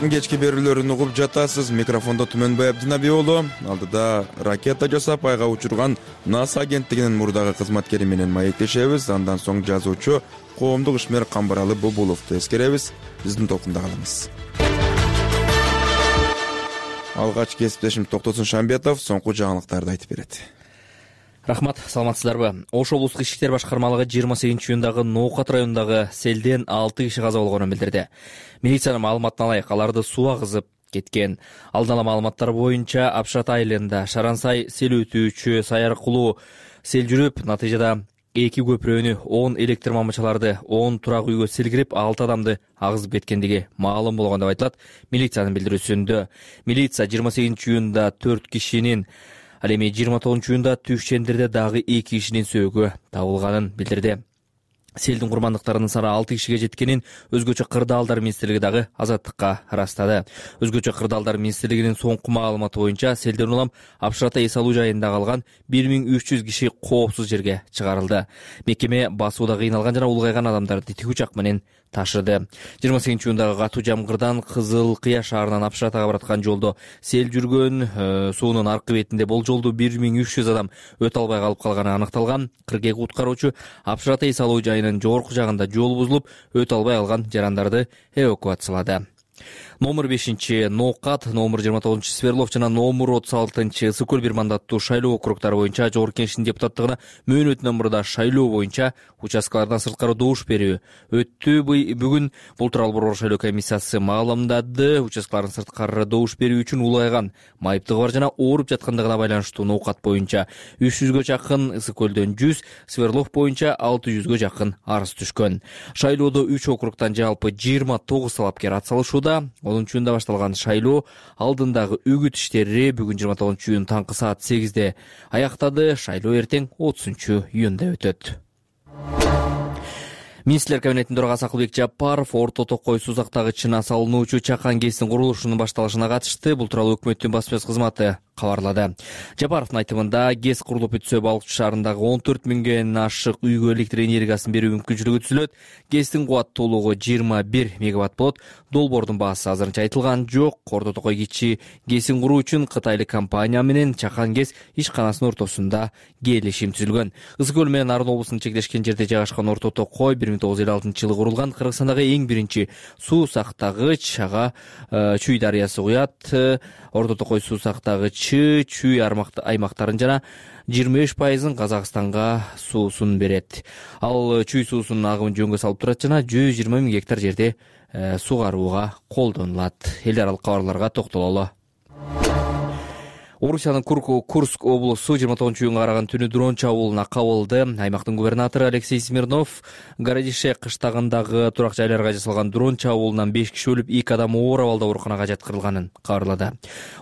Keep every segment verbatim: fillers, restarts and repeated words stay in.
азаттыктын кечки берүүлөрүн угуп жатасыз. Микрофондо Түмөнбай Абдинаби уулу. Алдыда ракета жасап айга учурган НАСА агенттигинин мурдагы кызматкери менен маектешебиз. Андан соң жазуучу, коомдук ишмер Камбаралы Бубуловду эскеребиз. Биздин толкунда калыңыз. Алгач кесиптешим Токтосун Шамбетов соңку жаңылыктарды айтып берет. Рахмат, саламатсыздарбы? Ош облустук ички иштер башкармалыгы жыйырма сегизинчи июндагы Ноокат районундагы селден алты киши каза болгонун билдирди. Милициянын маалыматына ылайык, аларды суу агызып кеткен. Алдын ала маалыматтар боюнча Апшат айылында Шарансай сел өтүүчү сай аркылуу сел жүрүп, натыйжада эки көпүрөнү, он электр мамычаларды, он турак үйгө сел кирип, алты адамды агызып кеткендиги маалым болгон деп айтылат милициянын билдирүүсүндө. Милиция жыйырма сегизинчи июнда төрт кишинин, ал эми жыйырма тогузунчу июнда Түшчендерде дагы эки кишинин сөөгү табылганын билдирди. Селдин курмандыктарынын саны алты кишиге жеткенин өзгөчө кырдаалдар министрлиги дагы азаттыкка ырастады. Өзгөчө кырдаалдар министрлигинин соңку маалыматы боюнча селден улам Апшата эс алуу жайында калган бир миң үч жүз киши коопсуз жерге чыгарылды. Мекеме басууда кыйналган жана улгайган адамдарды тикүчак менен ташыды. жыйырма сегизинчи июндагы катуу жамгырдан Кызыл Кыя шаарынан Апшатага бараткан жолдо сел жүргөн, э, суунун аркы бетинде болжолдуу бир миң үч жүз адам өтө албай калып калганы аныкталган. кырк эки куткаруучу Апшата эс алуу жайынын жогорку жагында жол бузулуп, өтө албай калган жарандарды эвакуациялады. Номер бешинчи Ноокат, номер жыйырма тогузунчу Сверлов жана номер отуз алтынчы Ысык көл бир мандаттуу шайлоо округдары боюнча Жогорку Кеңештин депутаттыгына мөөнөтүнөн мурда шайлоо боюнча участкалардан сырткары добуш берүү өттү. Бүгүн бул тууралуу борбор шайлоо комиссиясы маалымдады. Участкалардын сырткары добуш берүү үчүн улайган, майыптыгы бар жана ооруп жаткандыгына байланыштуу Ноокат боюнча үч жүзгө жакын, Ысык көлдөн жүз, Сверлов боюнча алты жүзгө жакын арыз түшкөн. Шайлоодо үч округтан жалпы жыйырма тогуз талапкер ат салышууда. онунчу июнда башталган шайлоо алдындагы үгүт иштери бүгүн жыйырма тогузунчу июн таңкы саат сегизде аяктады. Шайлоо эртең отузунчу июнда өтөт. Министрлер кабинетинин төрагасы Акылбек Жапаров Орто Токой сузактагычына салынуучу Чакан ГЭСтин курулушунун башталышына катышты. Бул тууралуу өкмөттүн басма сөз кызматы кабарлады. Жапаровдун айтымында ГЭС курулуп бүтсө Балыкчы шаарындагы он төрт миңден ашык үйгө электр энергиясын берүү мүмкүнчүлүгү түзүлөт. ГЭСтин кубаттуулугу жыйырма бир мегаватт болот. Долбоордун баасы азырынча айтылган жок. Орто Токой кичи ГЭСин куруу үчүн кытайлык компания менен Чакан ГЭС ишканасынын ортосунда келишим түзүлгөн. Ысык көл менен Нарын облусунун чектешкен жерде жайгашкан Орто Токой бир миң тогуз жүз элүү алтынчы жылы курулган Кыргызстандагы эң биринчи суу сактагыч. Ага Чүй дарыясы куят. Орто Токой суу сактагычы Чүй аймактарын жана жыйырма беш пайызын Казакстанга суусун берет. Ал Чүй суусунун агымын жөнгө салып турат жана жүз жыйырма миң гектар жерде сугарууга колдонулат. Эл аралык кабарларга токтололу. Орусиянын Курск облусу жыйырма тогузунчу июнга караган түнү дрон чабуулуна кабылды. Аймактын губернатору Алексей Смирнов Городише кыштагындагы турак жайларга жасалган дрон чабуулунан беш киши өлүп, эки адам оор абалда ооруканага жаткырылганын кабарлады.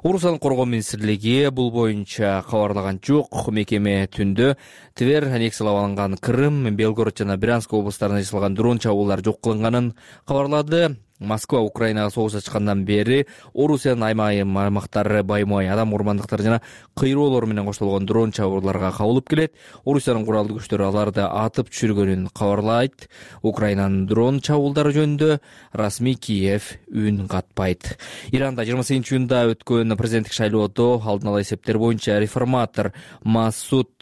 Орусиянын коргоо министрлиги бул боюнча кабарлаган жок. Мекеме түндө Тver, аннексиялап алынган Крым, Белгород жана Брянск облустарына жасалган дрон чабуулар жок кылынганын кабарлады. Москва Украинага согуш ачкандан бери Орусиянын аймайым аймактары баймай адам урмандыктары жана кыйроолор менен коштолгон дрон чабууларга кабылып келет. Орусиянын куралдуу күчтөрү аларды атып түшүргөнүн кабарлайт. Украинанын дрон чабуулдары жөнүндө расмий Киев үн катпайт. Иранда жыйырма сегизинчи июнда өткөн президенттик шайлоодо алдын ала эсептер боюнча реформатор Масуд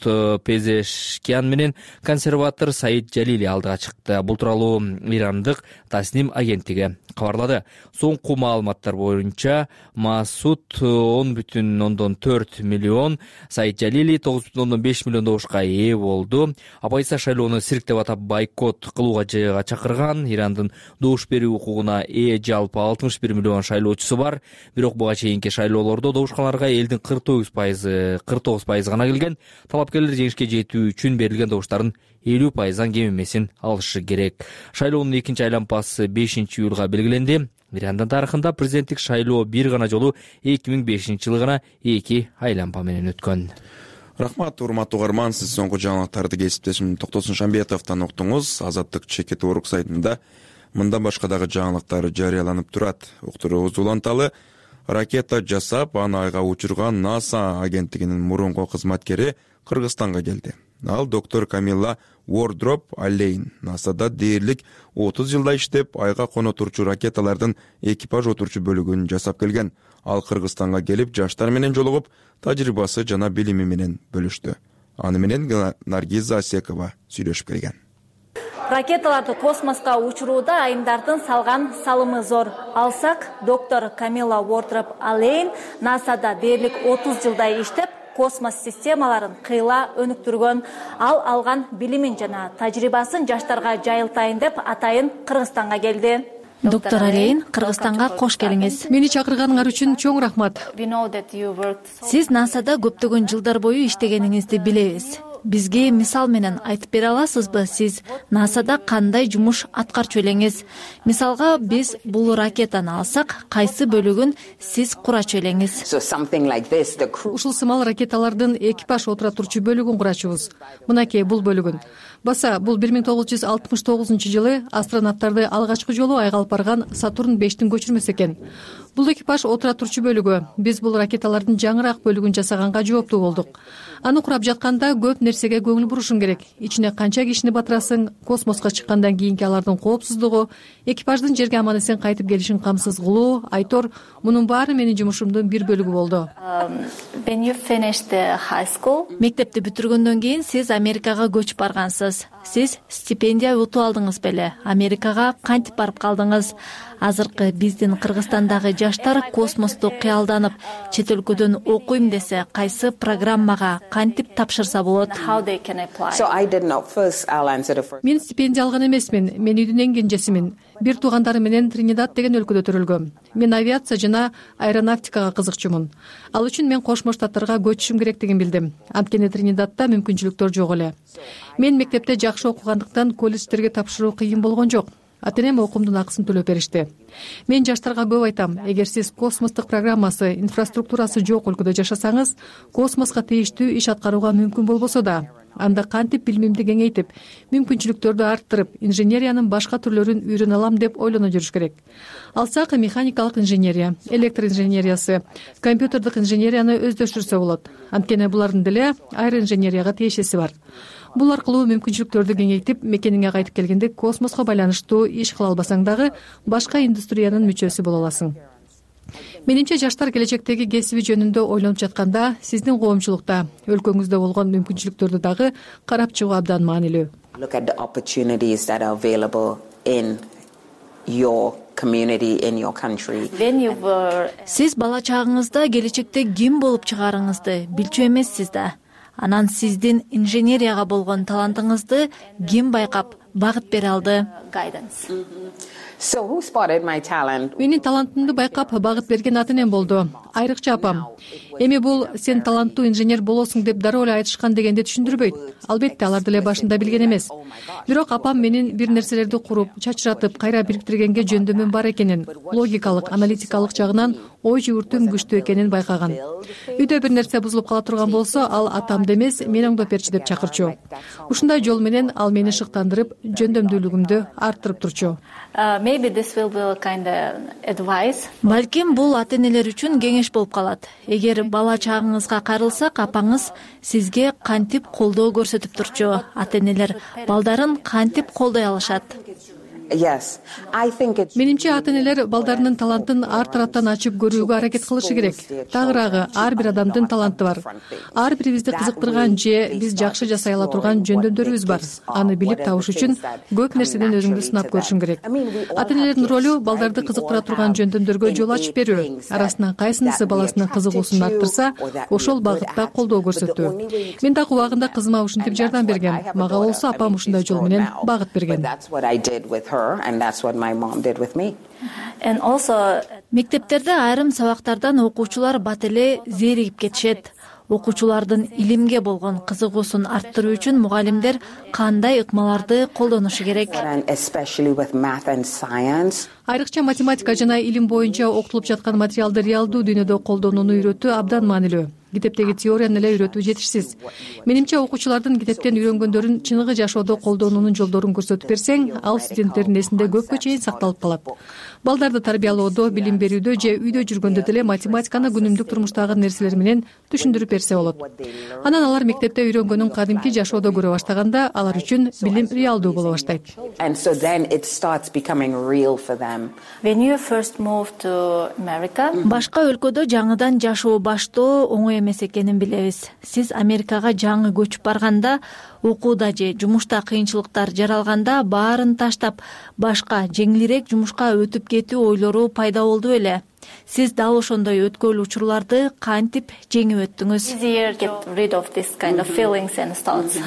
Пезешкян менен консерватор Саид Жалили алдыга чыкты. Бул тууралуу ирандык Тасним агенттиги кабарлады. Соңку маалыматтар боюнча Масуд он бүтүн ондон төрт миллион, Саид Жалили тогуз бүтүн ондон беш миллион добушка ээ болду. Абайса шайлоону цирк деп атап бойкот кылууга чакырган. Ирандын добуш берүү укугуна ээ жалпы алтымыш бир миллион шайлоочусу бар. Бирок буга чейинки шайлоолордо добушканаларга элдин кырк тогуз пайызы кырк тогуз пайызы гана келген. Талапкерлер жеңишке жетүү үчүн берилген добуштардын элүү пайыздан кем эмесин алышы керек. Шайлоонун экинчи айлампасы бешинчи июлга белгиленди. Ирандын тарыхында президенттик шайлоо бир гана жолу эки миң бешинчи жылы гана эки айлампа менен өткөн. Рахмат, урматтуу угарман, сиз соңку жаңылыктарды кесиптешим Токтосун Шамбетовдон уктуңуз. Азаттык чекит урук сайтында мындан башка дагы жаңылыктар жарыяланып турат. Уктурууңузду уланталы. Ракета жасап, аны айга учурган НАСА агенттигинин мурунку кызматкери Кыргызстанга келди. Ал доктор Камилла Wardrope Alleyne насада дээрлик отуз жылда иштеп айга коно турчу ракеталардын экипаж отурчу бөлүгүн жасап келген. Ал Кыргызстанга келип, жаштар менен жолугуп, тажрыйбасы жана билими менен бөлүштү. Аны менен Наргиза Асекова сүйлөшүп келген. Ракеталарды космоско учурууда айымдардын салган салымы зор. Алсак, доктор Камила Wardrope Alleyne насада дээрлик отуз жылдай иштеп, космос системаларын кыйла өнүктүргөн. Ал алган билимин жана тажрыйбасын жаштарга жайылтайын деп атайын Кыргызстанга келди. Доктор Alleyne, Кыргызстанга кош келиңиз. Мени чакырганыңар үчүн чоң рахмат. Сиз насада көптөгөн жылдар бою иштегениңизди билебиз. Бизге мисал менен айтып бере аласызбы, сиз насада кандай жумуш аткарчу элеңиз? Мисалга, биз бул ракетаны алсак, кайсы бөлүгүн сиз курачу элеңиз? Ушул сымал ракеталардын экипаж отура турчу бөлүгүн курачубуз. Мынакей бул бөлүгүн. Баса, бул бир миң тогуз жүз алтымыш тогузунчу жылы астронавттарды алгачкы жолу айга алып барган Сатурн бештин көчүрмөсү экен. Бул экипаж отура турчу бөлүгү. Биз бул ракеталардын жаңыраак бөлүгүн жасаганга жооптуу болдук. Аны курап жатканда көп нерсеге көңүл бурушуң керек. Ичине канча кишини батырасың, космоско чыккандан кийинки алардын коопсуздугу, экипаждын жерге аман эсен кайтып келишин камсыз кылуу, айтор, мунун баары менин жумушумдун бир бөлүгү болду. Мектепти бүтүргөндөн кийин сиз Америкага көчүп баргансыз. Сиз стипендия утуп алдыңыз беле? Америкага кантип барып калдыңыз? Азыркы биздин Кыргызстандагы жаштар космосту кыялданып, чет өлкөдөн окуйм десе, кайсы программага кантип тапшырса болот? Мен стипендия алган эмесмин. Мен үйдүн эң кенжесимин. Бир туугандарым менен Тринидад деген өлкөдө төрөлгөм. Мен авиация жана аэронавтикага кызыкчумун. Ал үчүн мен Кошмо Штаттарга көчүшүм керектигин билдим. Анткени Тринидадда мүмкүнчүлүктөр жок эле. Мен мектепте жакшы окугандыктан колледждерге тапшыруу кыйын болгон жок. Ата-энем окуумдун акысын төлөп беришти. Мен жаштарга көп айтам, эгер сиз космостук программасы, инфраструктурасы жок өлкөдө жашасаңыз, космоско тийиштүү иш аткарууга мүмкүн болбосо да, анда кантип билимимди кеңейтип, мүмкүнчүлүктөрдү арттырып, инженериянын башка түрлөрүн үйрөнө алам деп ойлоно жүрүш керек. Алсак, механикалык инженерия, электр инженериясы, компьютердик инженерияны өздөштүрсө болот. Анткени булардын деле аэроинженерияга тиешеси бар. Бул аркылуу мүмкүнчүлүктөрдү кеңейтип, мекениңе кайтып келгенде космоско байланыштуу иш кыла албасаң дагы башка индустриянын мүчөсү боло аласың. Менимче жаштар келечектеги кесиби жөнүндө ойлонуп жатканда, сиздин коомчулукта, өлкөңүздө болгон мүмкүнчүлүктөрдү дагы карап чыгуу абдан маанилүү. Сиз бала чагыңызда келечекте ким болуп чыгарыңызды билчү эмессиз да. Анан сиздин инженерияга болгон талантыңызды ким байкап, багыт бере алды? Менин талантымды байкап, багыт берген ата-энем болду. Айрыкча апам. Эми бул сен таланттуу инженер болосуң деп дароо эле айтышкан дегенди түшүндүрбөйт. Албетте, алар деле башында билген эмес. Бирок апам менин бир нерселерди куруп, чачыратып, кайра бириктиргенге жөндөмүм бар экенин, логикалык, аналитикалык жагынан ой жүгүртүүм күчтүү экенин байкаган. Үйдө бир нерсе бузулуп кала турган болсо, ал атамды эмес, мени оңдоп берчи деп чакырчу. Ушундай жол менен ал мени шыктандырып, жөндөмдүүлүгүмдү арттырып турчу. Балким бул ата-энелер үчүн кеңеш болуп калат. Эгер бала чагыңызга кайрылсак, апаңыз сизге кантип колдоо көрсөтүп турчу? Ата-энелер балдарын кантип колдой алышат? Менимче ата-энелер балдарынын талантын ар тараптан ачып көрүүгө аракет кылышы керек. Тагыраагы, ар бир адамдын таланты бар. Ар бирибизди кызыктырган же биз жакшы жасай ала турган жөндөмдөрүбүз бар. Аны билип табыш үчүн көп нерседен өзүңдү сынап көрүшүң керек. Ата-энелердин ролу балдарды кызыктыра турган жөндөмдөргө жол ачып берүү. Арасынан кайсынысы баласынын кызыгуусун арттырса, ошол багытта колдоо көрсөтүү. Мен дагы убагында кызыма ушинтип жардам берген. Мага болсо апам ушундай жол менен багыт берген. And that's what my mom did with me. And also, мектептерде айрым сабактардан окуучулар бат эле зеригип кетишет. Окуучулардын илимге болгон кызыгуусун арттыруу үчүн мугалимдер кандай ыкмаларды колдонушу керек? Айрыкча математика жана илим боюнча окутулуп жаткан материалды реалдуу дүйнөдө колдонууну үйрөтүү абдан маанилүү. китептеги теорияны эле үйрөтүү жетишсиз. Менимче окуучулардын китептен үйрөнгөндөрүн чыныгы жашоодо колдонуунун жолдорун көрсөтүп берсең, ал студенттердин эсинде көпкө чейин сакталып калат. Балдарды тарбиялоодо, билим берүүдө же үйдө жүргөндө деле математиканы күнүмдүк турмуштагы нерселер менен түшүндүрүп берсе болот. Анан алар мектепте үйрөнгөнүн кадимки жашоодо көрө баштаганда алар үчүн билим реалдуу боло баштайт. And so then it starts becoming real for them. When you first moved to America, Башка өлкөдө жаңыдан жашоо баштоо оңой эмес экенин билебиз. Сиз Америкага жаңы көчүп барганда, окууда же жумушта кыйынчылыктар жаралганда баарын таштап, башка жеңилирээк жумушка өтүп кетүү ойлору пайда болду беле? Сиз дал ошондой өткөл учурларды кантип жеңип өттүңүз? easier get rid of this kind of feelings and thoughts.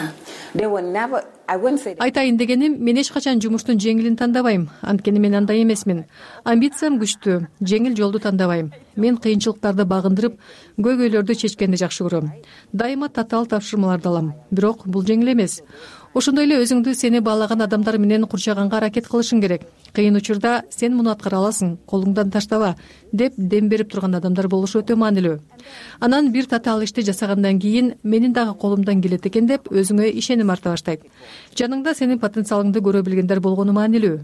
They were never, I wouldn't say that. Айтайын дегеним, мен эч качан жумуштун жеңилин тандабайм. Анткени мен андай эмесмин. Амбициям күчтүү, жеңил жолду тандабайм. Мен кыйынчылыктарды багындырып, көйгөйлөрдү чечкенди жакшы көрөм. Дайыма татаал тапшырмаларды алам. Бирок бул жеңил эмес. Ошондой эле өзүңдү сени баалаган адамдар менен курчаганга аракет кылышың керек. Кыйын учурда сен муну аткара аласың, колуңдан таштаба деп дем берип турган адамдар болушу өтө маанилүү. Анан бир татаал ишти жасагандан кийин менин дагы колумдан келет экен деп өзүңө ишеним арта баштайт. Жаныңда сенин потенциалыңды көрө билгендер болгону маанилүү.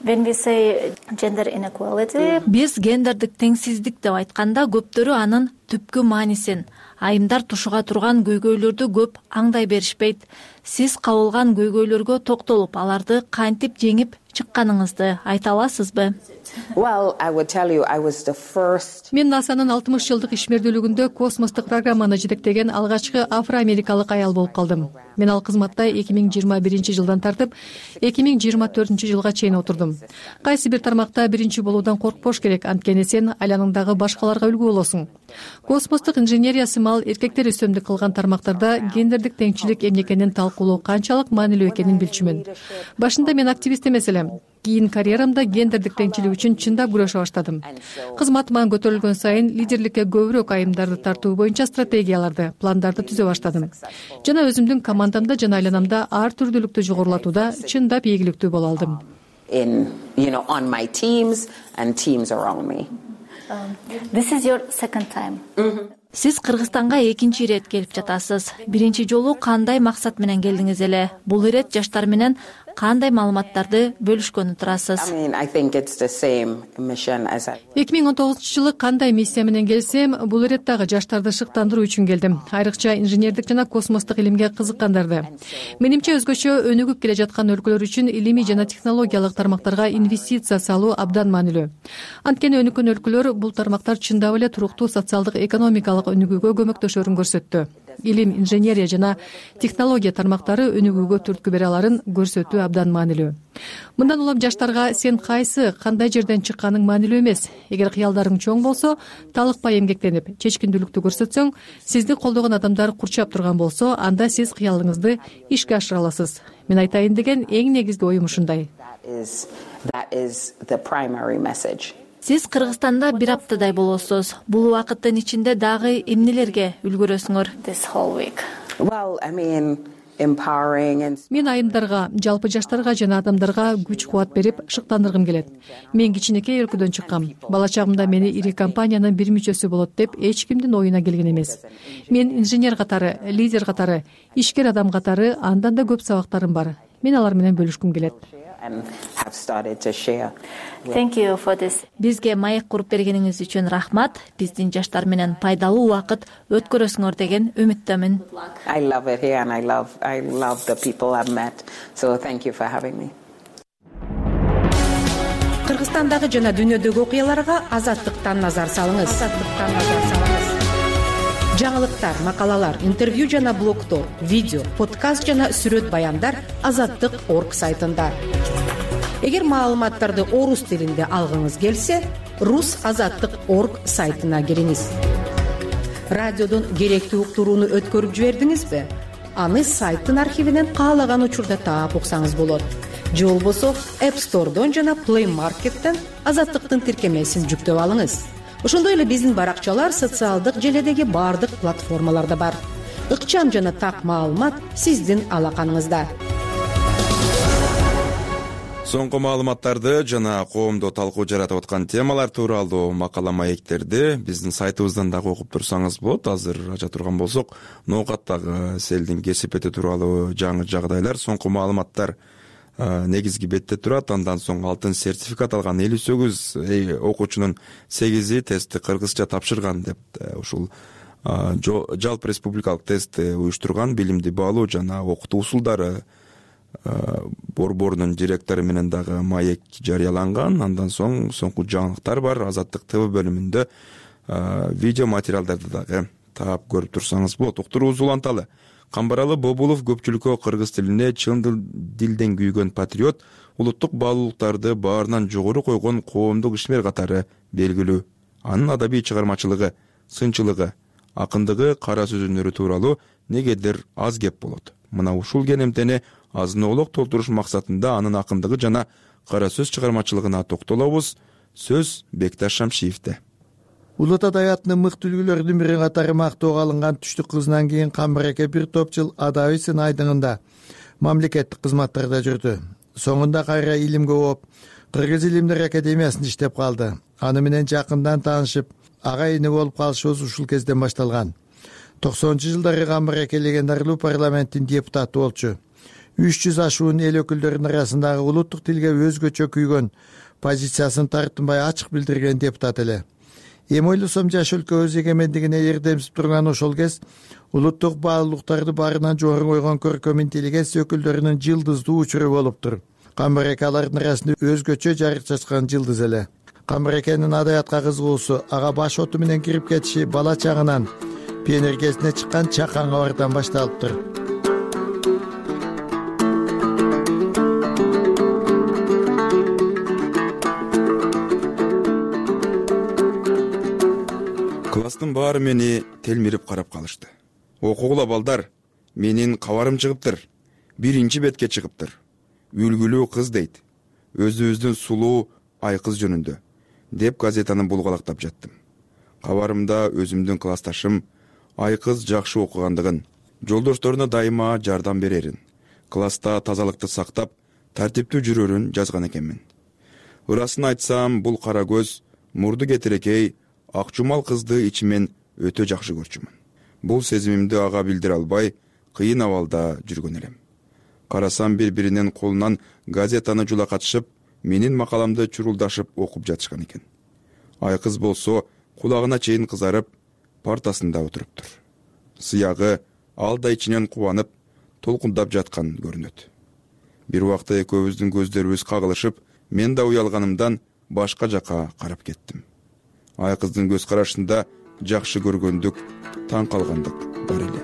When we say gender inequality, Биз гендердик теңсиздик деп айтканда көптөрү анын түпкү маанисин, айымдар тушуга турган көйгөйлөрдү көп аңдай беришпейт. Сиз кабылган көйгөйлөргө токтолуп, аларды кантип жеңип чыкканыңызды айта аласызбы? Well, I would tell you, I was the first. Мен НАСАнын алтымыш жылдык ишмердүүлүгүндө космостук программаны жетектеген алгачкы афро-америкалык аял болуп калдым. Мен ал кызматта эки миң жыйырма биринчи жылдан тартып эки миң жыйырма төртүнчү жылга чейин отурдум. Кайсы бир тармакта биринчи болуудан коркпош керек, анткени сен айланыңдагы башкаларга үлгү болосуң. Космостук инженерия сымал эркектер үстөмдүк кылган тармактарда гендердик теңчилик эмне экенин талкуулоо канчалык маанилүү экенин билчүмүн. Башында мен активист эмес элем. Кийин карьерамда гендердик теңчилик үчүн чындап күрөшө баштадым. Кызматыма көтөрүлгөн сайын лидерликке көбүрөөк айымдарды тартуу боюнча стратегияларды, пландарды түзө баштадым. Жана өзүмдүн командамда жана айланамда ар түрдүүлүктү жогорулатууда чындап ийгиликтүү боло алдым. In, you know, on my teams and teams around me. um, this is your second time. Сиз Кыргызстанга экинчи ирет келип жатасыз. Биринчи жолу кандай максат менен келдиңиз эле? Бул ирет жаштар менен кандай маалыматтарды бөлүшкөнү турасыз? I mean, I think it's the same mission as I. эки миң он тогузунчу жылы кандай миссия менен келсем, бул ирет дагы жаштарды шыктандыруу үчүн келдим. Айрыкча инженердик жана космостук илимге кызыккандарды. Менимче өзгөчө өнүгүп келе жаткан өлкөлөр үчүн илимий жана технологиялык тармактарга инвестиция салуу абдан маанилүү. Анткени өнүккөн өлкөлөр бул тармактар чындап эле туруктуу социалдык экономикалык өнүгүүгө көмөктөшөрүн көрсөттү. Илим, инженерия жана технология тармактары өнүгүүгө түрткү бере аларын көрсөтүү абдан маанилүү. Мындан улам жаштарга сен кайсы, кандай жерден чыкканың маанилүү эмес. Эгер кыялдарың чоң болсо, талыкпай эмгектенип, чечкиндүүлүктү көрсөтсөң, сизди колдогон адамдар курчап турган болсо, анда сиз кыялыңызды ишке ашыра аласыз. Мен айтайын деген эң негизги оюм ушундай. That is, that is the primary message. Сиз Кыргызстанда бир аптадай болосуз. Бул убакыттын ичинде дагы эмнелерге үлгүрөсүңөр? This whole week. Well, I mean, empowering and. Мен айымдарга, жалпы жаштарга жана адамдарга күч кубат берип, шыктандыргым келет. Мен кичинекей өлкөдөн чыккам. Бала чагымда мени ири компаниянын бир мүчөсү болот деп эч кимдин оюна келген эмес. Мен инженер катары, лидер катары, ишкер адам катары андан да көп сабактарым бар. Мен алар менен бөлүшкүм келет. And have started to share. Thank you for this. Бизге маек куруп бергениңиз үчүн рахмат. Биздин жаштар менен пайдалуу убакыт өткөрөсүңөр деген үмүттөмүн. I love it here and I love, I love the people I've met. So thank you for having me. Кыргызстандагы жана дүйнөдөгү окуяларга Азаттыктан назар салыңыз. Азаттыктан назар салыңыз. Жаңылыктар, макалалар, интервью жана блогтор, видео, подкаст жана сүрөт баяндар азаттык точка орг сайтында. Эгер маалыматтарды орус тилинде алгыңыз келсе, рус азаттык точка орг сайтына кириңиз. Радиодон керектүү уктурууну өткөрүп жибердиңизби? Аны сайттын архивинен каалаган учурда таап уксаңыз болот. Же болбосо App Store'дон жана Play Market'тен азаттыктын тиркемесин жүктөп алыңыз. Ошондой эле биздин баракчалар социалдык желедеги бардык платформаларда бар. Ыкчам жана так маалымат сиздин алаканыңызда. Соңку маалыматтарды жана коомдо талкуу жаратып аткан темалар тууралуу макала маектерди биздин сайтыбыздан дагы окуп турсаңыз болот. Азыр ача турган болсок, ноокаттагы селдин кесипети тууралуу жаңы жагдайлар, соңку маалыматтар негизги бетте турат. Андан соң алтын сертификат алган элүү сегиз окуучунун сегизи тестти кыргызча тапшырган деп ушул жалпы республикалык тестти уюштурган билимди баалоо жана окутуу усулдары борборунун директору менен дагы маек жарыяланган. Андан соң соңку жаңылыктар бар. Азаттык ТВ бөлүмүндө видео материалдарды дагы таап көрүп турсаңыз болот. Уктуруубуз уланталы. Камбаралы Бобулов көпчүлүккө кыргыз тилине чын дилден күйгөн патриот, улуттук баалуулуктарды баарынан жогору койгон коомдук ишмер катары белгилүү. Анын адабий чыгармачылыгы, сынчылыгы, акындыгы, кара сөз өнөрү тууралуу негедир аз кеп болот. Мына ушул кенемтени азын-оолок толтуруш максатында анын акындыгы жана кара сөз чыгармачылыгына токтолобуз. Сөз Бекташ Шамшиевде. Улут адабиятынын мыкты үлгүлөрүнүн бири катары мактоого алынган Түштүк кызынан кийин Камбареке бир топ жыл адабий сын айдыңында мамлекеттик кызматтарда жүрдү. Соңунда кайра илимге ооп, Кыргыз илимдер академиясында иштеп калды. Аны менен жакындан таанышып, ага-ине болуп калышыбыз ушул кезден башталган. токсонунчу жылдары Камбареке легендарлуу парламенттин депутаты болчу. үч жүз ашуун эл өкүлдөрүнүн арасындагы улуттук тилге өзгөчө күйгөн позициясын тартынбай ачык билдирген депутат эле. Эми ойлосом, жаш өлкө өз эгемендигине эрдемсип турган ошол кез улуттук баалуулуктарды баарынан жогору койгон көркөм интеллигенция өкүлдөрүнүн жылдыздуу учуру болуптур. Камбареке алардын арасында өзгөчө жарык чачкан жылдыз эле. Камбарекенин адабиятка кызыгуусу, ага баш оту менен кирип кетиши бала чагынан пионер кезине чыккан Чакан кабардан башталыптыр. Класстын баары мени телмирип карап калышты. Окугула балдар, менин кабарым чыгыптыр. Биринчи бетке чыгыптыр. Үлгүлүү кыз дейт. Өзүбүздүн сулуу айкыз жөнүндө, деп газетаны булгалактап жаттым. Кабарымда өзүмдүн классташым айкыз жакшы окугандыгын, жолдошторуна дайыма жардам берерин, класста тазалыкты сактап, тартиптүү жүрөрүн жазган экенмин. Ырасын айтсам, бул кара көз, мурду кетирекей, ак жумал кызды ичимен өтө жакшы көрчүмүн. Бул сезимимди ага билдире албай, кыйын абалда жүргөн элем. Карасам, бири-биринин колунан газетаны жулакатышып, менин макаламды чурулдашып окуп жатышкан экен. Айкыз болсо, кулагына чейин кызарып, партасында отуруптур. Сыягы алда ичинен кубанып, толкундап жаткан көрүнөт. Бир убакта экөөбүздүн көздөрүбүз кагылышып, мен да уялганымдан башка жака карап кеттим. Айкыздын көз карашында жакшы көргөндүк, таң калгандык бар эле.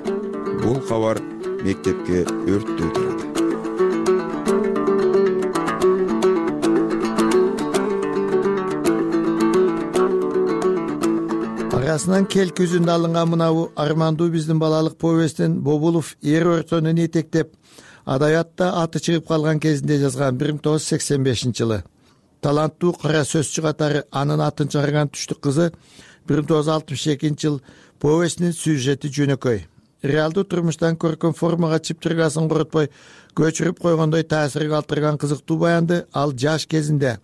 Бул кабар мектепке өрттөй тарады. Арасынан келки үзүндө алынган мынабу армандуу биздин балалык повесттин Бобулов эр өртөнүн этектеп, адабиятта аты чыгып калган кезинде жазган бир миң тогуз жүз сексен бешинчи жылы. Таланттуу кара сөзчү катары анын атын чыгарган Түштүк кызы бир миң тогуз жүз алтымыш экинчи жыл повестинин сюжети жөнөкөй. Реалдуу турмуштан көркөм формага чыптыргасын коротпой көчүрүп койгондой таасир калтырган кызыктуу баянды ал жаш кезинде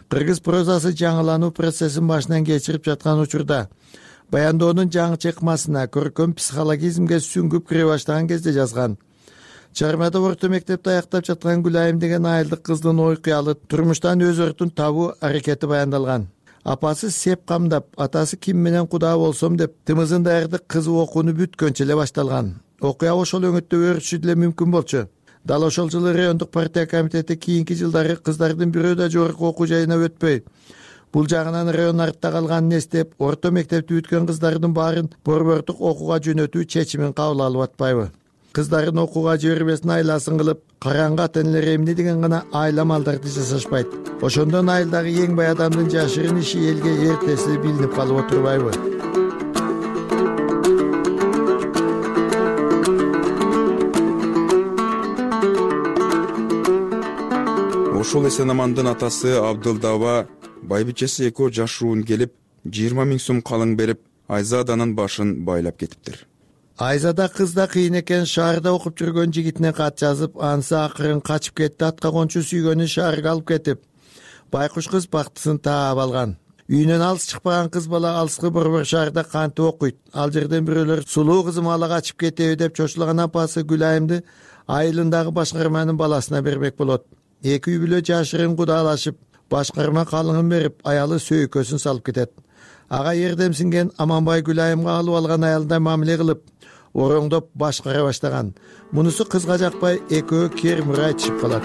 кыргыз прозасы жаңылануу процессин башынан кечирип жаткан учурда баяндоонун жаңы чыкмасына көркөм психологизмге сүңгүп кире баштаган кезде жазган. Чыгармада орто мектепти аяктап жаткан Гүлайым деген айылдык кыздын ой кыялы турмуштан өз өртүн табуу аракети баяндалган. Апасы сеп камдап, атасы ким менен кудаа болсом деп тымызын даярдык кызы окууну бүткөнчө эле башталган. Окуя ошол өңөттө өрүшү деле мүмкүн болчу. Дал ошол жылы райондук партия комитети кийинки жылдары кыздардын бирөө да жогорку окуу жайына өтпөй, бул жагынан район артта калганын эстеп, орто мектепти бүткөн кыздардын баарын борбордук окууга жөнөтүү чечимин кабыл алып атпайбы? Кыздарын окууга жибербесин айласын кылып, караңгы ата-энелер эмне деген гана айла малдарды жасашпайт. Ошондон айылдагы эң бай адамдын жашырын иши элге эртеси билинип калып отурбайбы? Ошол Эсенамандын атасы Абдылдаба байбичеси экөө жашуун келип, жыйырма миң сом калың берип, Айзаданын башын байлап кетиптир. Айзада кыз да кыйын экен. Шаарда окуп жүргөн жигитине кат жазып, анысы акырын качып кетти. Атка кончу сүйгөнүн шаарга алып кетип, байкуш кыз бактысын таап алган. Үйүнөн алыс чыкпаган кыз бала алыскы борбор шаарда кантип окуйт. Ал жерден бирөөлөр сулуу кызым ала качып кетеби деп чочулаган апасы Гүлайымды айылындагы башкарманын баласына бермек болот. Эки үй бүлө жашырын кудаалашып, башкарма калыңын берип, аялы сөйкөсүн салып кетет. Ага эрдемсинген Аманбай Гүлайымга алып алган аялдай мамиле кылып, ороңдоп башкара баштаган. Мунусу кызга жакпай, экөө кермир айтышып калат.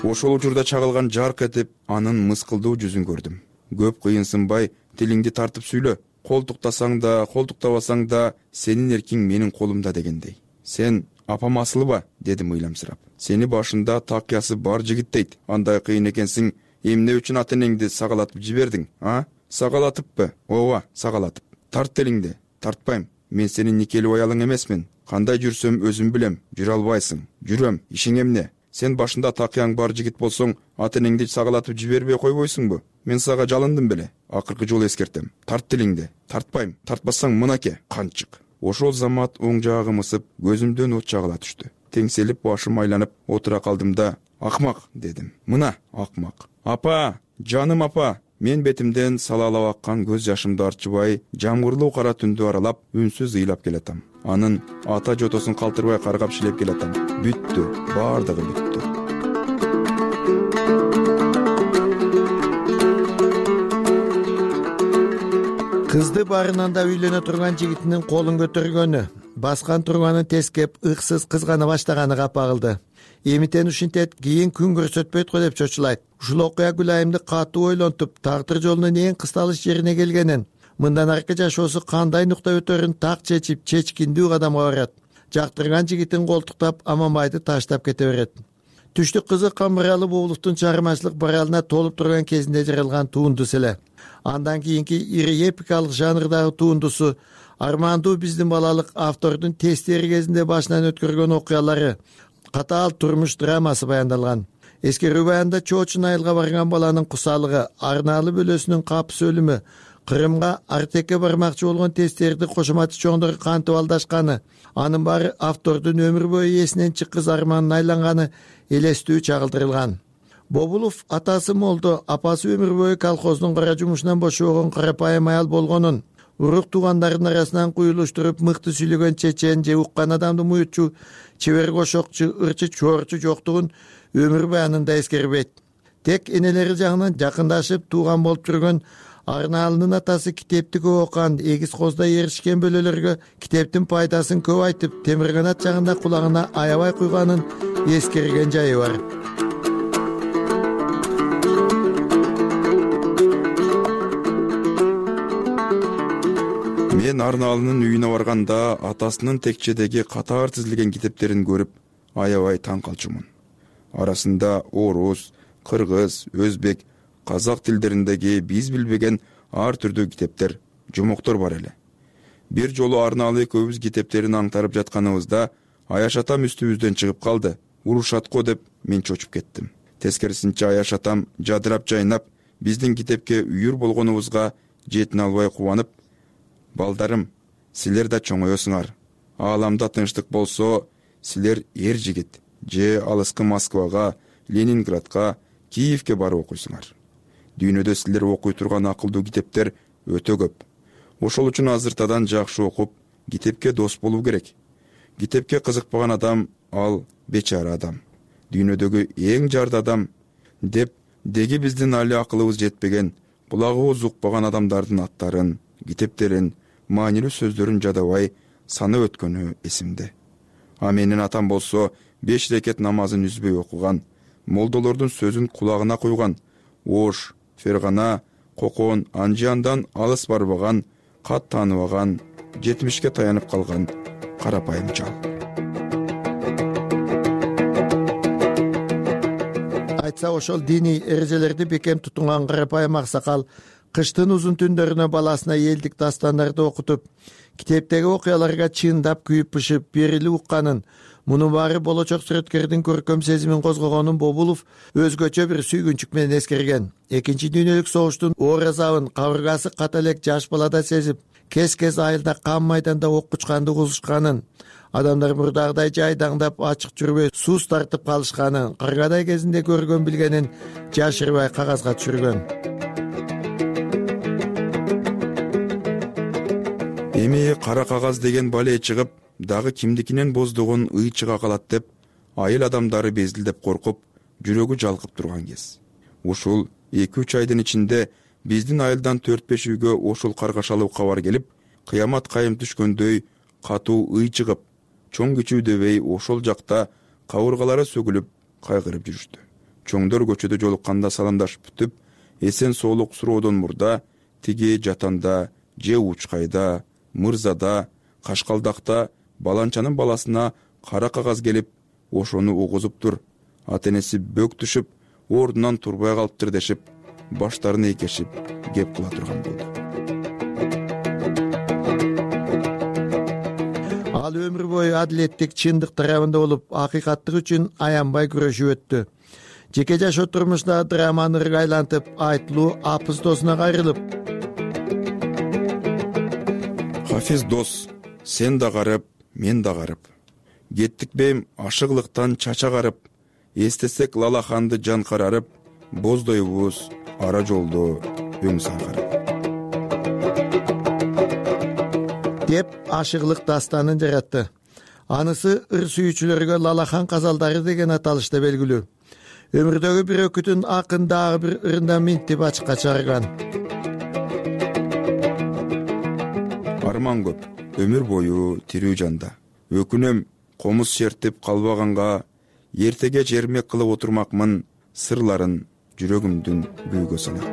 Ошол учурда чагылган жарк этип, анын мыскылдуу жүзүн көрдүм. Көп кыйынсынбай, тилиңди тартып сүйлө. Колтуктасаң да, колтуктабасаң да, сенин эркиң менин колумда дегендей. Сен апам асылба, дедим ыйламсырап. Сени башында такыясы бар жигит дейт. Андай кыйын экенсиң, эмне үчүн ата-энеңди сагалатып жибердиң, а? Сагалатыппы? Ооба, сагалатып. Тарт телиңди. Тартпайм. Мен сенин никелүү аялың эмесмин. Кандай жүрсөм өзүм билем. Жүрө албайсың. Жүрөм. Ишиң эмне? Сен башында такыяң бар жигит болсоң, ата-энеңди сагалатып жибербей койбойсуңбу? Мен сага жалындым беле. Акыркы жолу эскертем. Тарт телиңди. Тартпайм. Тартпасаң мынаке, канчык. Ошол замат оң жагым ысып, көзүмдөн от чагыла түштү. Теңселип, башым айланып отура калдым да, акмак дедим. Мына, акмак. Апа, жаным апа. Мен бетимден салалап аккан көз жашымды арчыбай, жамгырлуу кара түндү аралап, үнсүз ыйлап келатам. Анын ата жотосун калтырбай каргап шилеп келатам. Бүттү, бардыгы бүттү. Кызды барынан да үйлөнө турган жигитинин колун көтөргөнү, баскан турганын тескеп, ыксыз кызгана баштаганы капа кылды. Эмитен ушинтет, кийин күн көрсөтпөйт го деп чочулайт. Ушул окуя Гүлайымды катуу ойлонтуп, тагдыр жолунун эң кысталыш жерине келгенин, мындан аркы жашоосу кандай нукта өтөрүн так чечип, чечкиндүү кадамга барат. Жактырган жигитин колтуктап, Аманбайды таштап кете берет. Түштүк кызы Камыралы Бобуловдун чыгармачылык баралына толуп турган кезинде жаралган туындусы эле. Андан кийинки ири эпикалык жанрдагы туындусу Армандуу биздин балалык автордун тестери кезинде башынан өткөргөн окуялары, катаал турмуш драмасы баяндалган. Эскерүү баянда Чоочун айылга барган баланын кусалыгы, Арнаалы бөлөсүнүн капыс өлүмү, Кырымга Артекке бармакчы болгон тестерди кошоматчы чоңдор кантип алдашканы, анын баары автордун өмүр бою эсинен чыккыс арманын айланганы элестүү чагылдырылган. Бобулов атасы молдо, апасы өмүр бою колхоздун кара жумушунан бошобогон карапайым аял болгонун, урук туугандардын арасынан куюлуштуруп мыкты сүйлөгөн чечен же уккан адамды муютчу, чебер кошокчу, ырчы чоорчу жоктугун өмүр баянында эскербейт. Тек энелери жагынан жакындашып тууган болуп жүргөн Арнаалынын атасы китепти көп окуган, эгиз козда эришкен бөлөлөргө китептин пайдасын көп айтып, темирканат жагында кулагына аябай куйганын эскерген жайы бар. Мен Арнаалынын үйүнө барганда атасынын текчедеги катар тизилген китептерин көрүп, аябай таң калчумун. Арасында орус, кыргыз, өзбек, казак тилдериндеги биз билбеген ар түрдүү китептер, жомоктор бар эле. Бир жолу Арнаалы экөөбүз китептерин аңтарып жатканыбызда Аяш атам үстүбүздөн чыгып калды. Урушат го деп мен чочуп кеттим. Тескерисинче Аяш атам жадырап жайнап, биздин китепке үйүр болгонубузга жетине албай кубанып, балдарым, силер да чоңоесуңар. Ааламда тынчтык болсо, силер эр жигит же алыскы Москвага, Ленинградка, Киевке барып окуйсуңар. Дүйнөдө силер окуй турган акылдуу китептер өтө көп. Ошол үчүн азыртадан жакшы окуп, китепке дос болуу керек. Китепке кызыкпаган адам, ал бечара адам. Дүйнөдөгү эң жарды адам деп деги биздин али акылыбыз жетпеген, кулагыбыз укпаган адамдардын аттарын, китептерин, маанилүү сөздөрүн жадабай санап өткөнү эсимде. А менин атам болсо беш рекет намазын үзбөй окуган, молдолордун сөзүн кулагына куйган, Ош, Фергана, Кокон, Анжияндан алыс барбаган, кат тааныбаган, жетимишке таянып калган карапайым жал. Айтса ошол диний эрежелерди бекем тутунган карапайым аксакал кыштын узун түндөрүнө баласына элдик дастандарды окутуп, китептеги окуяларга чындап күйүп бышып берилип укканын, мунун баары болочок сүрөткөрдүн көркөм сезимин козгогонун Бобулов өзгөчө бир сүйгүнчүк менен эскерген. Экинчи дүйнөлүк согуштун оор азабын кабыргасы ката элек жаш балада сезип, кез-кез айылда кан майданда ок учканды угушканын, адамдар мурдагыдай жайдаңдап ачык жүрбөй сууз тартып калышканын, кыргадай кезинде көргөн билгенин жашырбай кагазга түшүргөн. Эми кара кагаз деген бале чыгып, дагы кимдикинен боздогон ый чыга калат деп, айыл адамдары безилдеп коркуп, жүрөгү жалкып турган кез. Ушул эки үч айдын ичинде биздин айылдан төрт беш үйгө ошол каргашалуу кабар келип, кыямат кайым түшкөндөй катуу ый чыгып, чоң кичүү дебей ошол жакта кабыргалары сөгүлүп, кайгырып жүрүштү. Чоңдор көчөдө жолукканда саламдашып бүтүп, эсен соолук суроодон мурда тиги жатанда, же Учкайда, Мырзада, Кашкалдакта баланчанын баласына кара кагаз келип, ошону угузуп тур, ата энеси бөк түшүп, ордунан турбай калыптыр дешип, баштарын эйкешип кеп кыла турган болду. Ал өмүр бою адилеттик, чындык тарабында болуп, акыйкаттык үчүн аянбай күрөшүп өттү. Жеке жашоо турмушта драманы ырга айлантып, айтылуу апыз досуна кайрылып: Хафиз дос, сен да карып, мен да карып. Кеттик бейм ашыглыктан чача карып, эстесек Лалаханды жан карарып, боздойбуз ара жолдо өң саңгарып. Деп ашыглык дастанын жаратты. Анысы ыр сүйүүчүлөргө Лалахан казалдары деген аталышта белгилүү. Өмүрдөгү бир өкүтүн акын дагы бир ырында минтип ачыкка чыгарган. Арман көп, өмүр бою тирүү жанда. Өкүнөм комуз шертип калбаганга, эртеге жермек кылып отурмакмын сырларын жүрөгүмдүн күйгө санап.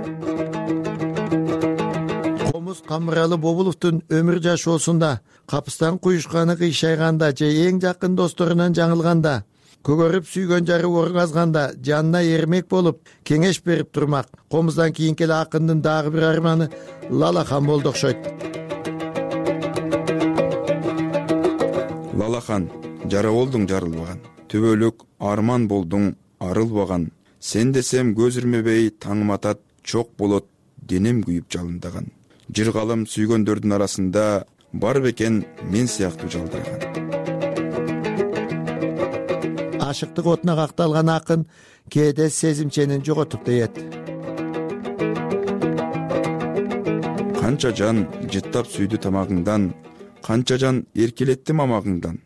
Комуз Камыралы Бобуловдун өмүр жашоосунда капыстан куюшканы кыйшайганда же эң жакын досторунан жаңылганда, көгөрүп сүйгөн жары оргазганда жанына эрмек болуп, кеңеш берип турмак. Комуздан кийинки эле акындын дагы бир арманы Лалахан болду окшойт. Лалахан, жара болдуң жарылбаган, төбөлүк арман болдуң арылбаган. Сен десем көз ирмебей таңым атат, чок болот денем күйүп жалындаган. Жыргалым сүйгөндөрдүн арасында бар бекен мен сыяктуу жалдыраган. Ашыктык отуна какталган акын кээде сезимченин жоготуп дейет. Канча жан жыттап сүйдү тамагыңдан, канча жан эркелетти мамагыңдан.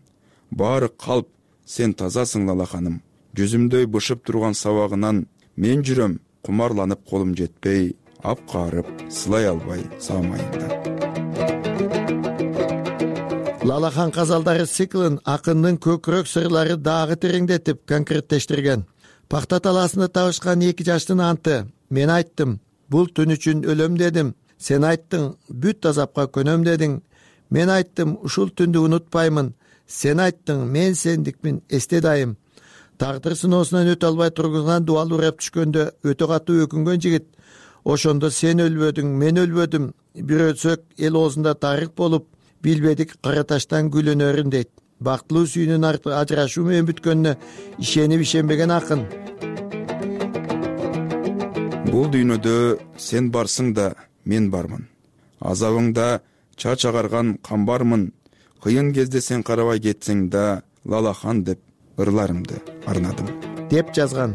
Баары калп, сен тазасың Лалаханым. Жүзүмдөй бышып турган сабагынан мен жүрөм кумарланып колум жетпей, ап каарып сылай албай саамайыңдан. Лалахан казалдары циклын акындын көкүрөк сырлары дагы тереңдетип конкреттештирген. Пакта талаасында табышкан эки жаштын анты: мен айттым, бул түн үчүн өлөм дедим. Сен айттың, бүт азапка көнөм дедиң. Мен айттым, ушул түндү унутпаймын. Сен айттың, мен сендикмин эсте дайым. Тагдыр сыноосунан өтө албай тургузган дубал урап түшкөндө өтө катуу өкүнгөн жигит: ошондо сен өлбөдүң, мен өлбөдүм. Бир өлсөк эл оозунда тарых болуп, билбедик кара таштан гүл өнөрүн дейт. Бактылуу сүйүүнүн ажырашуу менен бүткөнүнө ишенип ишенбеген акын. Бул дүйнөдө сен барсың да мен бармын. Азабыңда чач агарган камбармын. Кыйын кезде сен карабай кетсең да Лалахан деп ырларымды арнадым, деп жазган.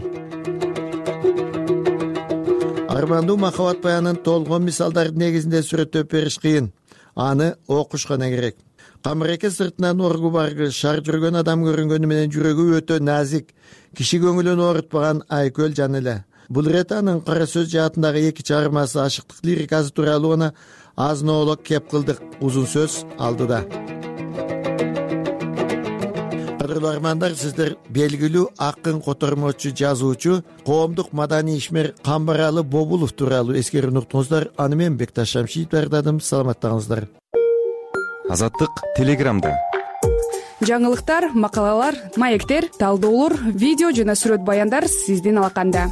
Армандуу махабат баянын толгон мисалдардын негизинде сүрөттөп бериш кыйын. Аны окуш гана керек. Камыреке сыртынан оргу баргы, шар жүргөн адам көрүнгөнү менен жүрөгү өтө назик, киши көңүлүн оорутпаган айкөл жан эле. Бул ирет анын кара сөз жаатындагы эки чыгармасы ашыктык лирикасы тууралуу гана азын-оолок кеп кылдык. Узун сөз алдыда. Кадырлуу армандар, сиздер белгилүү акын, котормочу, жазуучу, коомдук маданий ишмер Камбаралы Бобулов тууралуу эскерип уктуңуздар. Аны мен Бекташ Шамшиев даярдадым. Саламаттаңыздар. Азаттык Телеграмда. Жаңылыктар, макалалар, маектер, талдоолор, видео жана сүрөт баяндар сиздин алаканда.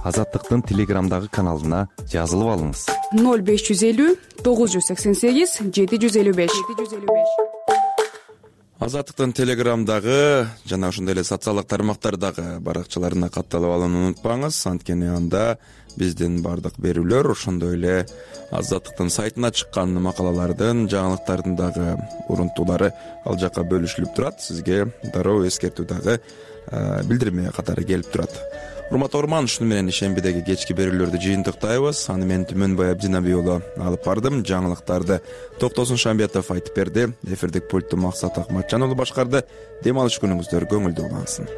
Азаттыктын телеграмдагы каналына жазылып алыңыз. ноль беш жүз элүү тогуз жүз сексен сегиз жети жүз элүү беш. Азаттыктын телеграмдагы жана ошондой эле социалдык тармактардагы баракчаларына катталып алууну унутпаңыз. Анткени анда биздин бардык берүүлөр, ошондой эле Азаттыктын сайтына чыккан макалалардын, жаңылыктардын дагы урунтуулары ал жака бөлүшүлүп турат. Сизге дароо эскертүү дагы билдирме катары келип турат. Урматтуу угарман, ушуну менен ишембидеги кечки берүүлөрдү жыйынтыктайбыз. Аны мен Түмөнбай Абдинаби уулу алып бардым. Жаңылыктарды Токтосун Шамбиятов айтып берди. Эфирдик пультту Максат Акматжан уулу башкарды. Дем алыш күнүңүздөр көңүлдүү улансын.